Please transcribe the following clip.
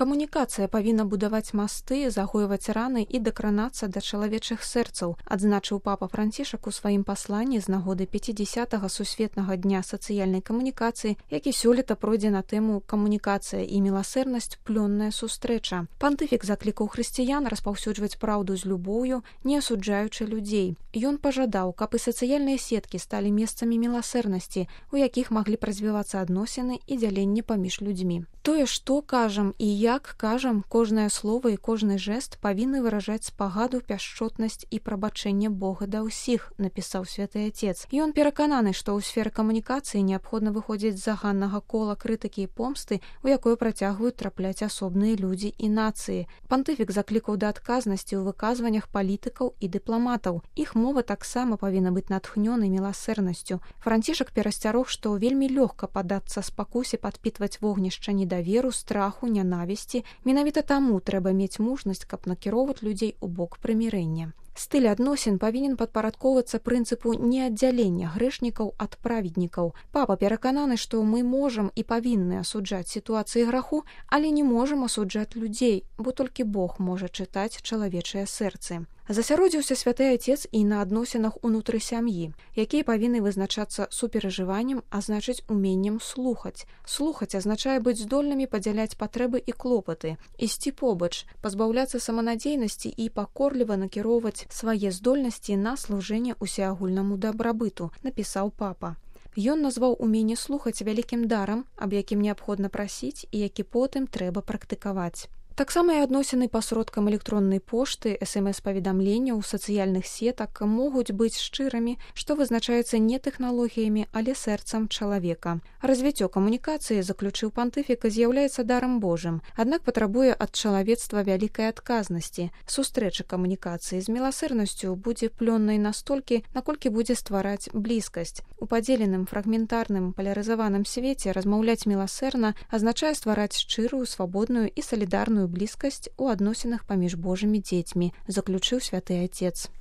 Камунікацыя павінна будаваць масты, загойваць раны і дакранацца да чалавечых сэрцаў, адзначыў папа Францішак у сваім пасланні з нагоды 50-га сусветнага дня сацыяльнай камунікацыі, які сёлета пройдзе на тэму «Камунікацыя і міласэрнасць. Плённая сустрэча». Пантыфік заклікаў хрысціян распаўсюджваць праўду з любоўю, не асуджаючы людзей. Ён пажадаў, каб і сацыяльныя сеткі сталі месцамі міласэрнасці, у якіх маглі развівацца адносіны і дзяленне паміж людзьмі. Тое, што кажам і як кажам, кожнае слова і кожны жэст павінны выражаць спагаду, пяшчотнасць і прабачэнне Бога да ўсіх, напісаў святы Отец. Ён перакананы, што ў сферы камунікацыі неабходна выходзіць з заганнага кола крытыкі і помсты, у якое працягваюць трапляць асобныя людзі і нацыі. Пантыфік заклікаў да адказнасці ў выказваннях палітыкаў і дыпламатаў. Іх мова таксама павінна быць натхнёнай міласэрнасцю. Францішак перасцярог, што вельмі лёгка паддацца спакусе падпітваць вогнішча недаверу, страху, нянавісці. Менавіта таму трэба мець мужнасць, каб накіроўваць людзей у бок прымірэння. Стыль адносін павінен падпарадкоўвацца прынцыпу неаддзялення грэшнікаў ад праведнікаў. Папа перакананы, што мы можам і павінны асуджаць сітуацыі граху, але не можам асуджаць людзей, бо толькі Бог можа чытаць чалавечыя сэрцы. Засяродзіўся святы Отец і на адносінах унутры сям'і, якія павінны вызначацца суперажываннем, а значыць уменнем слухаць. Слухаць азначае быць здольнымі падзяляць патрэбы і клопаты, ісці побач, пазбаўляцца саманадзейнасці і пакорліва накіроўваць свае здольнасці на служэнне усеагульнаму дабрабыту, напісаў папа. Ён назваў уменне слухаць вялікім дарам, аб якім неабходна прасіць і які потым трэба практыкаваць. Таксама і адносіны пасродкам электроннай пошты, СМС-паведамленняў, сацыяльных сетак могуць быць шчырымі, што вызначаецца не тэхналогіямі, але сэрцам чалавека. Развіццё камунікацыі, заключыў пантыфік, з'яўляецца дарам Божым, аднак патрабуе ад чалавецтва вялікай адказнасці. Сустрэча камунікацыі з міласэрнасцю будзе плённай настолькі, наколькі будзе ствараць блізкасць. У падзеленым, фрагментарным, палярызаваным свеце размаўляць міласэрна азначае ствараць шчырую, свабодную і салідарную блізкасць у адносінах паміж Божымі дзецьмі, заключыў святы Отец.